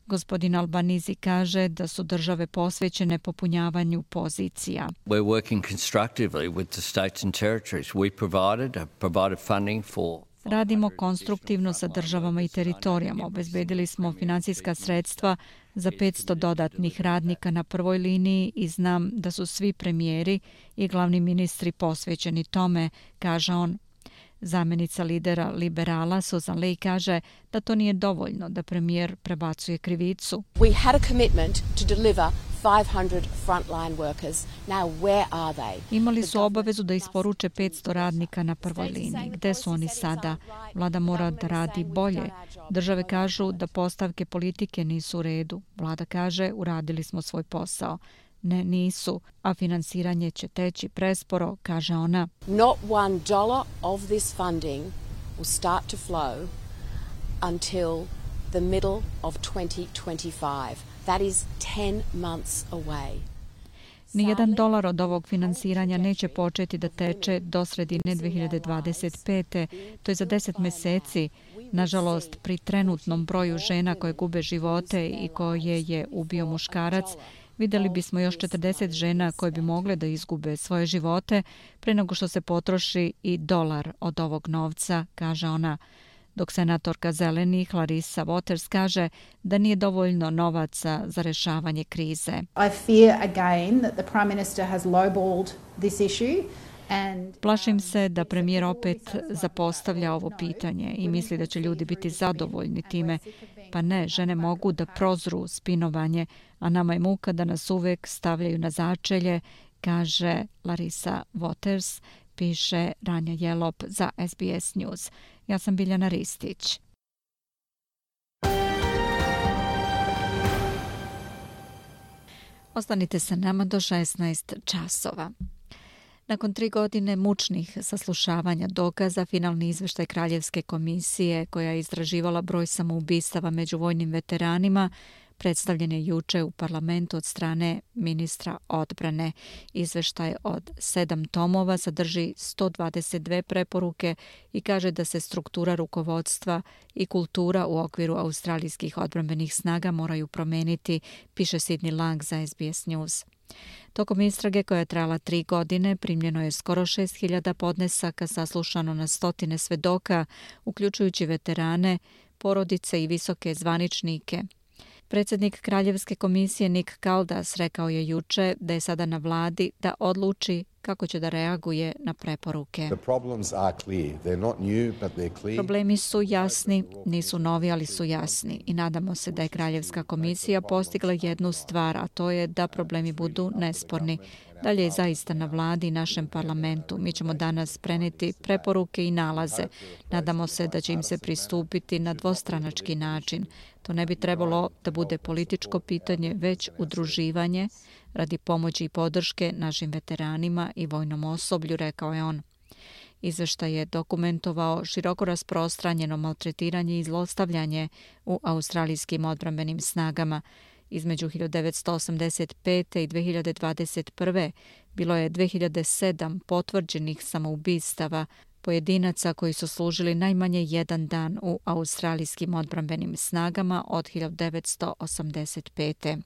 Gospodin Albanizi kaže da su države posvećene popunjavanju pozicija. We're working constructively with the states and territories. We provided, provided funding for Radimo konstruktivno sa državama i teritorijama. Obezbedili smo financijska sredstva za petsto dodatnih radnika na prvoj liniji i znam da su svi premijeri i glavni ministri posvećeni tome, kaže on. Zamjenica lidera liberala Susan Ley kaže da to nije dovoljno, da premijer prebacuje krivicu. We had a commitment to deliver five hundred frontline workers. Now where are they? Imali su obavezu da isporuče petsto radnika na prvoj liniji. Gde su oni sada? Vlada mora da radi bolje. Države kažu da postavke politike nisu u redu. Vlada kaže uradili smo svoj posao. Ne, nisu, a finansiranje će teći presporo, kaže ona. Not one dollar of this funding will start to flow until the middle of twenty twenty-five. That is ten months away. Nijedan dolar od ovog finansiranja neće početi da teče do sredine dve hiljade dvadeset pete. To je za deset meseci. Nažalost, pri trenutnom broju žena koje gube živote i koje je ubio muškarac, vidjeli bismo još četrdeset žena koje bi mogle da izgube svoje živote pre nego što se potroši i dolar od ovog novca, kaže ona. Dok senatorka Zelenih Larissa Waters kaže da nije dovoljno novaca za rešavanje krize. I fear again that the Prime Minister has lowballed this issue. Plašim se da premijer opet zapostavlja ovo pitanje i misli da će ljudi biti zadovoljni time. Pa ne, žene mogu da prozru spinovanje, a nama je muka da nas uvek stavljaju na začelje, kaže Larissa Waters, piše Ranja Jelop za S B S News. Ja sam Biljana Ristić. Ostanite sa nama do šesnaest časova. Nakon tri godine mučnih saslušavanja dokaza, finalni izveštaj Kraljevske komisije koja je istraživala broj samoubistava među vojnim veteranima predstavljen je juče u parlamentu od strane ministra odbrane. Izveštaj od sedam tomova sadrži sto dvadeset dve preporuke i kaže da se struktura rukovodstva i kultura u okviru australijskih odbrambenih snaga moraju promeniti, piše Sidney Lang za S B S News. Tokom istrage koja je trajala tri godine primljeno je skoro šest hiljada podnesaka, saslušano na stotine svedoka, uključujući veterane, porodice i visoke zvaničnike. Predsjednik Kraljevske komisije Nick Caldas rekao je juče da je sada na vladi da odluči kako će da reaguje na preporuke. Problemi su jasni, nisu novi, ali su jasni i nadamo se da je Kraljevska komisija postigla jednu stvar, a to je da problemi budu nesporni. Dalje je zaista na vladi i našem parlamentu. Mi ćemo danas preneti preporuke i nalaze. Nadamo se da će im se pristupiti na dvostranački način. To ne bi trebalo da bude političko pitanje, već udruživanje radi pomoći i podrške našim veteranima i vojnom osoblju, rekao je on. Izveštaj je dokumentovao široko rasprostranjeno maltretiranje i zlostavljanje u australijskim odbrambenim snagama. Između hiljadu devetsto osamdeset pete i dve hiljade dvadeset prve bilo je dve hiljade sedam potvrđenih samoubistava pojedinaca koji su služili najmanje jedan dan u australijskim odbrambenim snagama od hiljadu devetsto osamdeset pete.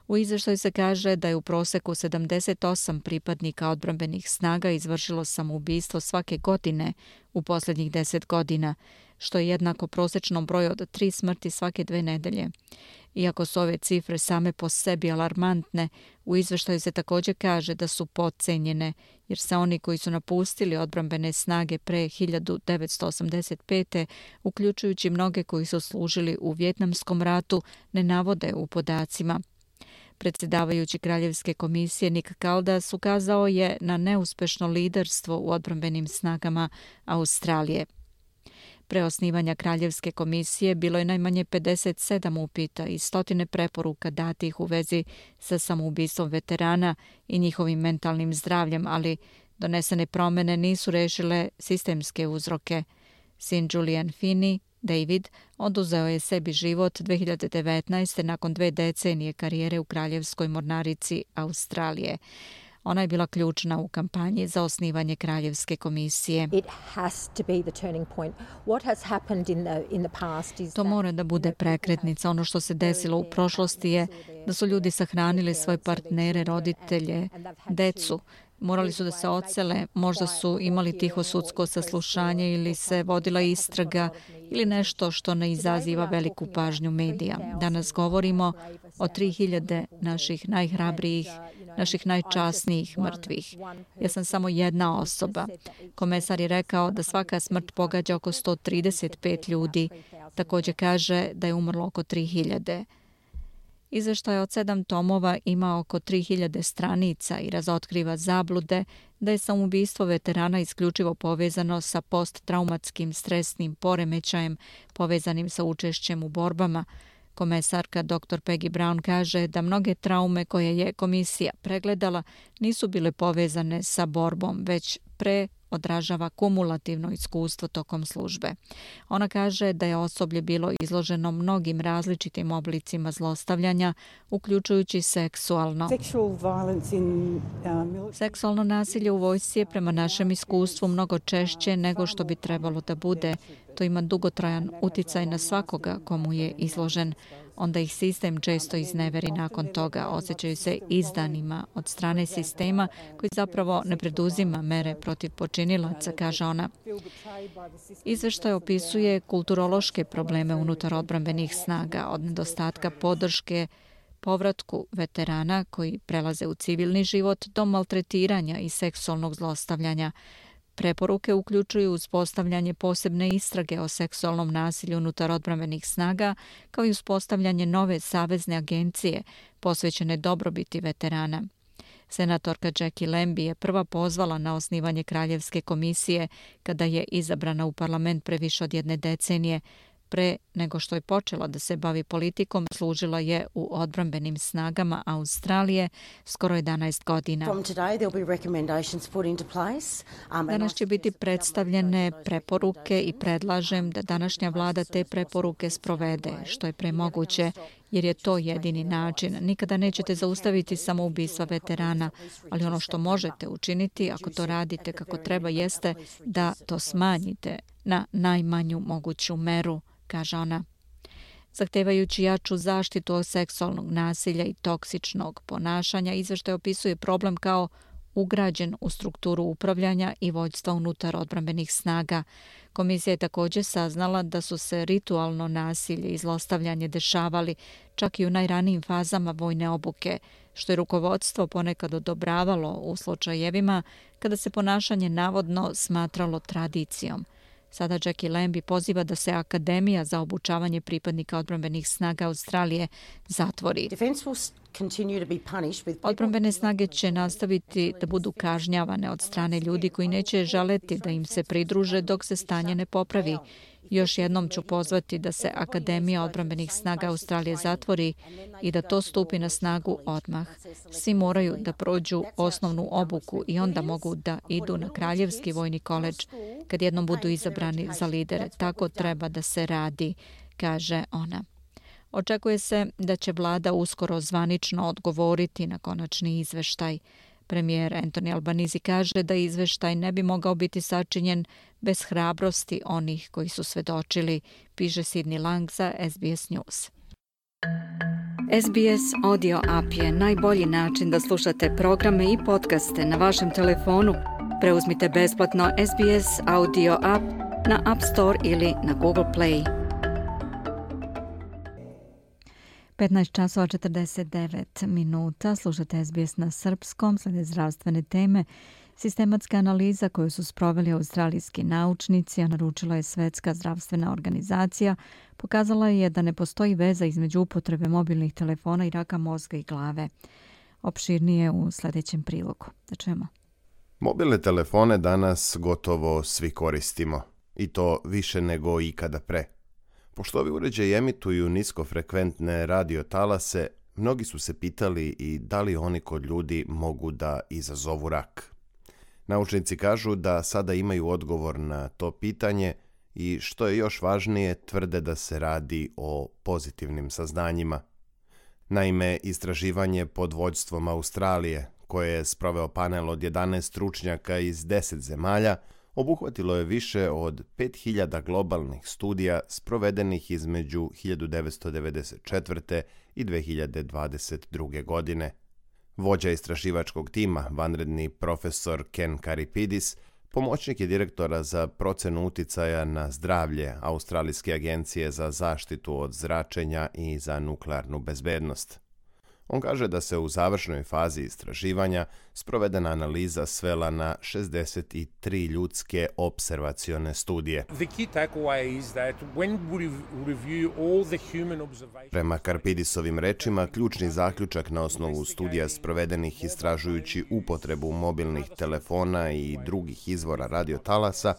U izveštaju se kaže da je u proseku sedamdeset osam pripadnika odbrambenih snaga izvršilo samoubistvo svake godine u posljednjih deset godina, što je jednako prosečnom broju od tri smrti svake dve nedelje. Iako su ove cifre same po sebi alarmantne, u izveštaju se također kaže da su podcenjene, jer se oni koji su napustili odbrambene snage pre hiljadu devetsto osamdeset pete, uključujući mnoge koji su služili u Vjetnamskom ratu, ne navode u podacima. Predsjedavajući Kraljevske komisije Nick Caldas ukazao je na neuspešno liderstvo u odbrambenim snagama Australije. Pre osnivanja Kraljevske komisije bilo je najmanje pedeset sedam upita i stotine preporuka datih u vezi sa samoubistvom veterana i njihovim mentalnim zdravljem, ali donesene promjene nisu rešile sistemske uzroke. Sin Julian Finney, David, oduzeo je sebi život dve hiljade devetnaeste. nakon dve decenije karijere u Kraljevskoj mornarici Australije. Ona je bila ključna u kampanji za osnivanje Kraljevske komisije. To mora da bude prekretnica. Ono što se desilo u prošlosti je da su ljudi sahranili svoje partnere, roditelje, decu. Morali su da se odsele, možda su imali tiho sudsko saslušanje ili se vodila istraga ili nešto što ne izaziva veliku pažnju medija. Danas govorimo o tri hiljade naših najhrabrijih, naših najčasnijih mrtvih. Ja sam samo jedna osoba. Komesar je rekao da svaka smrt pogađa oko sto trideset pet ljudi. Također kaže da je umrlo oko tri hiljade. Izveštaj od sedam tomova ima oko tri hiljade stranica i razotkriva zablude da je samoubistvo veterana isključivo povezano sa posttraumatskim stresnim poremećajem povezanim sa učešćem u borbama. Komesarka doktor Peggy Brown kaže da mnoge traume koje je komisija pregledala nisu bile povezane sa borbom, već pre odražava kumulativno iskustvo tokom službe. Ona kaže da je osoblje bilo izloženo mnogim različitim oblicima zlostavljanja, uključujući seksualno. Seksualno nasilje u vojsci je prema našem iskustvu mnogo češće nego što bi trebalo da bude. To ima dugotrajan uticaj na svakoga komu je izložen. Onda ih sistem često izneveri nakon toga. Osjećaju se izdanima od strane sistema koji zapravo ne preduzima mere protiv počinilaca, kaže ona. Izveštaj opisuje kulturološke probleme unutar odbrambenih snaga, od nedostatka podrške povratku veterana koji prelaze u civilni život do maltretiranja i seksualnog zlostavljanja. Preporuke uključuju uspostavljanje posebne istrage o seksualnom nasilju unutar odbrambenih snaga, kao i uspostavljanje nove savezne agencije posvećene dobrobiti veterana. Senatorka Jackie Lambie je prva pozvala na osnivanje Kraljevske komisije kada je izabrana u parlament pre više od jedne decenije. Pre nego što je počela da se bavi politikom, služila je u odbrambenim snagama Australije skoro jedanaest godina. Danas će biti predstavljene preporuke i predlažem da današnja vlada te preporuke sprovede, što je premoguće, jer je to jedini način. Nikada nećete zaustaviti samoubistva veterana, ali ono što možete učiniti, ako to radite kako treba, jeste da to smanjite na najmanju moguću meru, kaže ona. Zahtevajući jaču zaštitu od seksualnog nasilja i toksičnog ponašanja, izveštaj opisuje problem kao ugrađen u strukturu upravljanja i vođstva unutar odbrambenih snaga. Komisija je također saznala da su se ritualno nasilje i zlostavljanje dešavali čak i u najranijim fazama vojne obuke, što je rukovodstvo ponekad odobravalo u slučajevima kada se ponašanje navodno smatralo tradicijom. Sada Jackie Lambie poziva da se Akademija za obučavanje pripadnika odbrambenih snaga Australije zatvori. Odbrambene snage će nastaviti da budu kažnjavane od strane ljudi koji neće želeti da im se pridruže dok se stanje ne popravi. Još jednom ću pozvati da se Akademija odbrambenih snaga Australije zatvori i da to stupi na snagu odmah. Svi moraju da prođu osnovnu obuku i onda mogu da idu na Kraljevski vojni koledž kad jednom budu izabrani za lidere. Tako treba da se radi, kaže ona. Očekuje se da će vlada uskoro zvanično odgovoriti na konačni izveštaj. Premijer Anthony Albanese kaže da izveštaj ne bi mogao biti sačinjen bez hrabrosti onih koji su svedočili, piše Sidney Lang za S B S News. S B S Audio App je najbolji način da slušate programe i podcaste na vašem telefonu. Preuzmite besplatno S B S Audio App na App Store ili na Google Play. petnaest časova četrdeset devet minuta. Slušate S B S na srpskom, slede zdravstvene teme. Sistematska analiza koju su sproveli australijski naučnici, a naručila je Svetska zdravstvena organizacija, pokazala je da ne postoji veza između upotrebe mobilnih telefona i raka mozga i glave. Opširnije u sljedećem prilogu. Da čujemo. Mobilne telefone danas gotovo svi koristimo, i to više nego ikada pre. Pošto ovi uređaji emituju niskofrekventne radiotalase, mnogi su se pitali i da li oni kod ljudi mogu da izazovu rak. Naučnici kažu da sada imaju odgovor na to pitanje i, što je još važnije, tvrde da se radi o pozitivnim saznanjima. Naime, istraživanje pod vođstvom Australije, koje je sproveo panel od jedanaest stručnjaka iz deset zemalja, obuhvatilo je više od pet hiljada globalnih studija sprovedenih između hiljadu devetsto devedeset četvrte. i dve hiljade dvadeset druge. godine. Vođa istraživačkog tima, vanredni profesor Ken Karipidis, pomoćnik je direktora za procenu uticaja na zdravlje Australijske agencije za zaštitu od zračenja i za nuklearnu bezbednost. On kaže da se u završnoj fazi istraživanja sprovedena analiza svela na šezdeset tri ljudske observacione studije. Prema Karpidisovim rečima, ključni zaključak na osnovu studija sprovedenih istražujući upotrebu mobilnih telefona i drugih izvora radiotalasa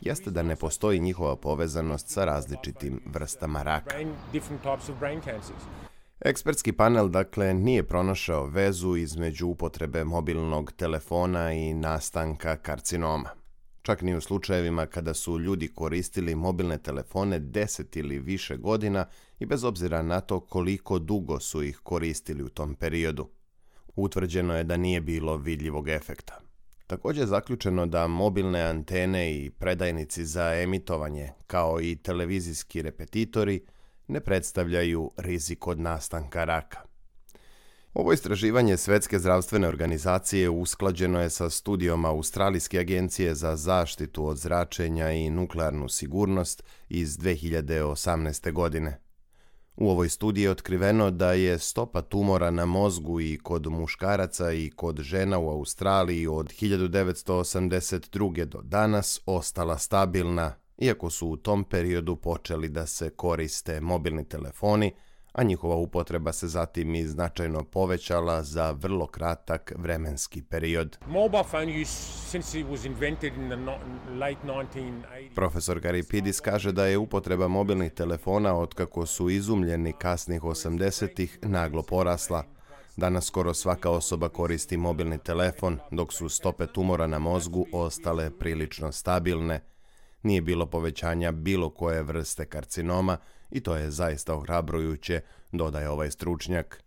jeste da ne postoji njihova povezanost sa različitim vrstama raka. Ekspertski panel, dakle, nije pronašao vezu između upotrebe mobilnog telefona i nastanka karcinoma. Čak ni u slučajevima kada su ljudi koristili mobilne telefone deset ili više godina i bez obzira na to koliko dugo su ih koristili u tom periodu. Utvrđeno je da nije bilo vidljivog efekta. Također je zaključeno da mobilne antene i predajnici za emitovanje, kao i televizijski repetitori, ne predstavljaju rizik od nastanka raka. Ovo istraživanje Svetske zdravstvene organizacije usklađeno je sa studijom Australijske agencije za zaštitu od zračenja i nuklearnu sigurnost iz dve hiljade osamnaeste. godine. U ovoj studiji je otkriveno da je stopa tumora na mozgu i kod muškaraca i kod žena u Australiji od hiljadu devetsto osamdeset druge. do danas ostala stabilna, iako su u tom periodu počeli da se koriste mobilni telefoni, a njihova upotreba se zatim i značajno povećala za vrlo kratak vremenski period. Profesor Karipidis kaže da je upotreba mobilnih telefona otkako su izumljeni kasnih osamdesetih naglo porasla. Danas skoro svaka osoba koristi mobilni telefon, dok su stope tumora na mozgu ostale prilično stabilne. Nije bilo povećanja bilo koje vrste karcinoma i to je zaista ohrabrujuće, dodaje ovaj stručnjak.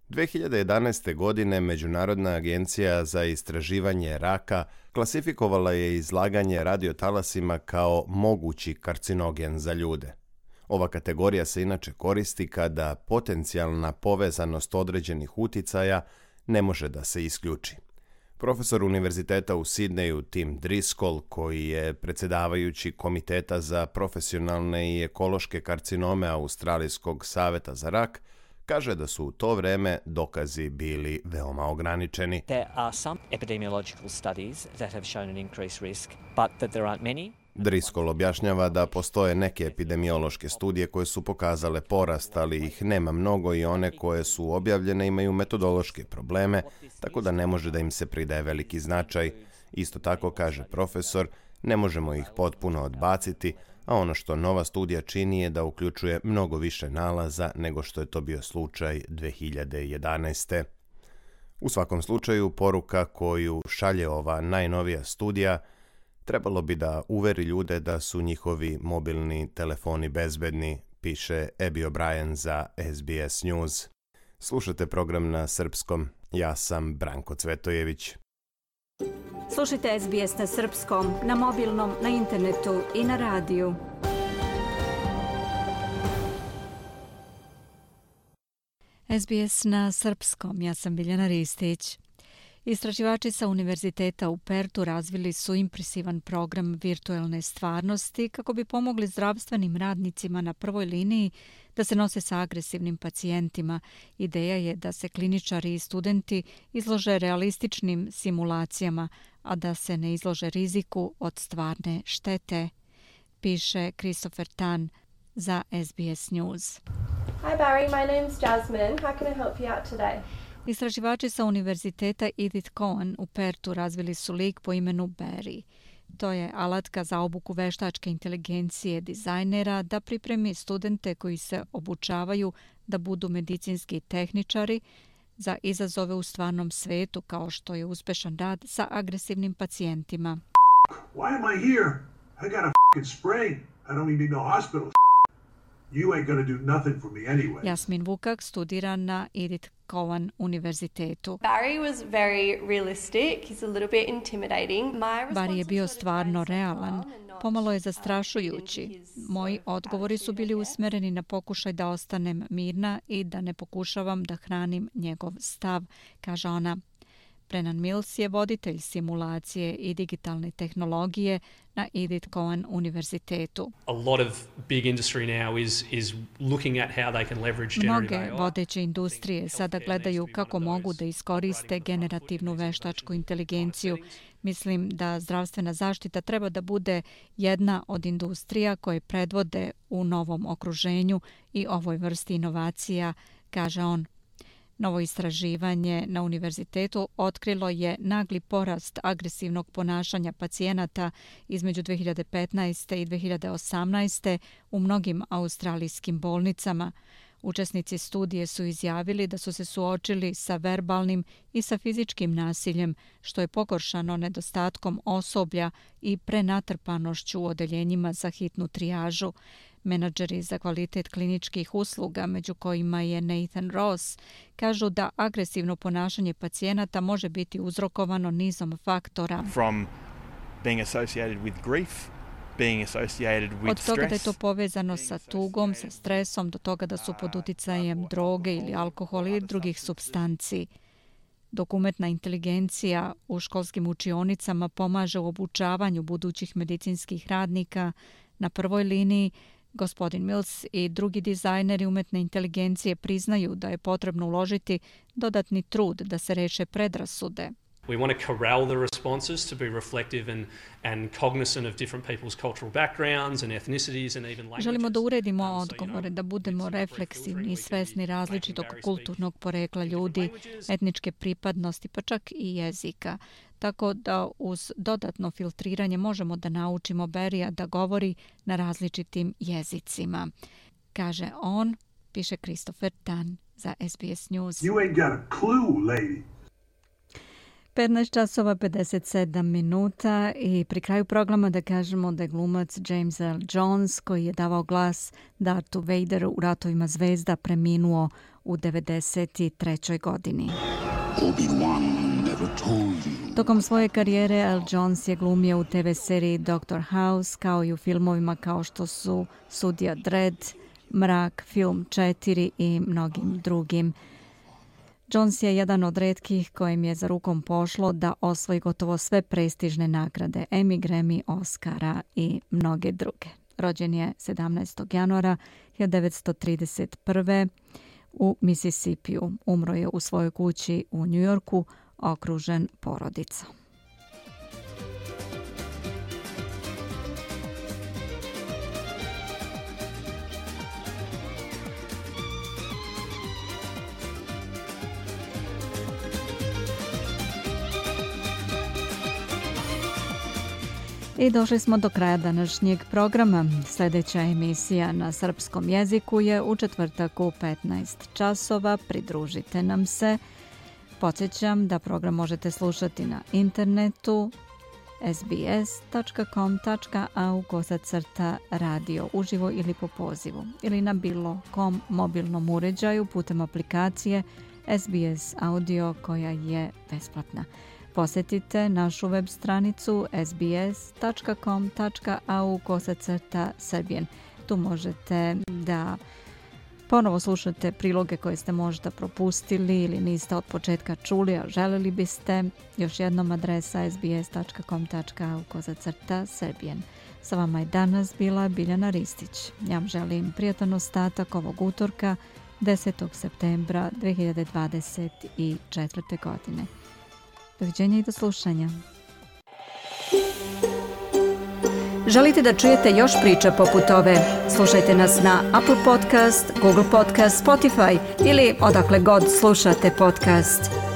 dve hiljade jedanaeste. godine Međunarodna agencija za istraživanje raka klasifikovala je izlaganje radiotalasima kao mogući karcinogen za ljude. Ova kategorija se inače koristi kada potencijalna povezanost određenih uticaja ne može da se isključi. Profesor univerziteta u Sidneju Tim Driscoll, koji je predsjedavajući Komiteta za profesionalne i ekološke karcinome Australijskog saveta za rak, kaže da su u to vreme dokazi bili veoma ograničeni. There are some epidemiological studies that have shown an increased risk, but that there aren't many. Driscoll objašnjava da postoje neke epidemiološke studije koje su pokazale porast, ali ih nema mnogo i one koje su objavljene imaju metodološke probleme, tako da ne može da im se pridaje veliki značaj. Isto tako, kaže profesor, ne možemo ih potpuno odbaciti, a ono što nova studija čini je da uključuje mnogo više nalaza nego što je to bio slučaj dve hiljade jedanaeste. U svakom slučaju, poruka koju šalje ova najnovija studija trebalo bi da uveri ljude da su njihovi mobilni telefoni bezbedni, piše Abby O'Brien za S B S News. Slušate program na srpskom. Ja sam Branko Cvetojević. Slušajte S B S na srpskom, na mobilnom, na internetu i na radiju. S B S na srpskom, ja sam Biljana Ristić. Istraživači sa Univerziteta u Pertu razvili su impresivan program virtualne stvarnosti kako bi pomogli zdravstvenim radnicima na prvoj liniji da se nose sa agresivnim pacijentima. Ideja je da se kliničari i studenti izlože realističnim simulacijama, a da se ne izlože riziku od stvarne štete, piše Christopher Tan za S B S News. Hi Barry, my name's Jasmine. How can I help you out today? Istraživači sa Univerziteta Edith Cowan u Pertu razvili su lik po imenu Barry. To je alatka za obuku veštačke inteligencije dizajnera da pripremi studente koji se obučavaju da budu medicinski tehničari za izazove u stvarnom svetu, kao što je uspešan rad sa agresivnim pacijentima. Why am I here? I got a fucking sprain. I don't even need no hospital. You ain't gonna do nothing for me anyway. Jasmin Vukak studira na Edith Cowan univerzitetu. Barry was very realistic. He's a little bit intimidating. My Barry je bio stvarno realan, pomalo je zastrašujući. Moji odgovori su bili usmereni na pokušaj da ostanem mirna i da ne pokušavam da hranim njegov stav, kaže ona. Brennan Mills je voditelj simulacije i digitalne tehnologije na Edith Cowan univerzitetu. A lot of big industry now is is looking at how they can leverage generative Mnoge vodeće industrije sada gledaju kako mogu da iskoriste generativnu veštačku inteligenciju. Mislim da zdravstvena zaštita treba da bude jedna od industrija koje predvode u novom okruženju i ovoj vrsti inovacija, kaže on. Novo istraživanje na univerzitetu otkrilo je nagli porast agresivnog ponašanja pacijenata između dve hiljade petnaeste i dve hiljade osamnaeste u mnogim australijskim bolnicama. Učesnici studije su izjavili da su se suočili sa verbalnim i sa fizičkim nasiljem, što je pogoršano nedostatkom osoblja i prenatrpanošću u odeljenjima za hitnu trijažu. Menadžeri za kvalitet kliničkih usluga, među kojima je Nathan Ross, kažu da agresivno ponašanje pacijenata može biti uzrokovano nizom faktora. From being associated with grief, being associated with Od toga da je stress, to povezano sa tugom, sa stresom, do toga da su pod uticajem droge ili alkohola ili drugih supstanci. Dok umetna inteligencija u školskim učionicama pomaže u obučavanju budućih medicinskih radnika, na prvoj liniji gospodin Mills i drugi dizajneri umetne inteligencije priznaju da je potrebno uložiti dodatni trud da se reše predrasude. We want to corral the responses to be reflective and, and cognizant of different people's cultural backgrounds and ethnicities and even languages. Želimo da uredimo odgovore, da budemo refleksivni i svesni različitog kulturnog porekla ljudi, etničke pripadnosti, pa čak i jezika. Tako da uz dodatno filtriranje možemo da naučimo Barrya da govori na različitim jezicima. Kaže on, piše Christopher Tan za S B S News. You ain't got a clue, lady. petnaest časova pedeset sedam minuta i pri kraju programa da kažemo da je glumac James Earl Jones, koji je davao glas Darthu Vaderu u Ratovima zvezda, preminuo u devedeset trećoj godini. Tokom svoje karijere Earl Jones je glumio u te ve seriji doktor House, kao i u filmovima kao što su Sudija Dredd, Mrak, Film četiri i mnogim drugim. Jones je jedan od retkih kojim je za rukom pošlo da osvoji gotovo sve prestižne nagrade, Emmy, Grammy, Oscara i mnoge druge. Rođen je sedamnaestog januara hiljadu devetsto trideset prve u Mississippiju. Umro je u svojoj kući u New Yorku, okružen porodicom. I došli smo do kraja današnjeg programa. Sljedeća emisija na srpskom jeziku je u četvrtak u petnaest časova. Pridružite nam se. Podsjećam da program možete slušati na internetu es be es tačka com tačka a u kosacrta radio uživo ili po pozivu ili na bilo kom mobilnom uređaju putem aplikacije S B S Audio koja je besplatna. Posjetite našu web stranicu es be es tačka com tačka a u kosacrta srbijen. Tu možete da Ponovo slušate priloge koje ste možda propustili ili niste od početka čuli, a želeli biste. Još jednom adresa sbs.com.au kozacrta Serbian. Sa vama je danas bila Biljana Ristić. Ja vam želim prijatan ostatak ovog utorka, desetog septembra dve hiljade dvadeset četvrte. godine. Doviđenja i do slušanja. Želite da čujete još priča poput ove? Slušajte nas na Apple Podcast, Google Podcast, Spotify ili odakle god slušate podcast.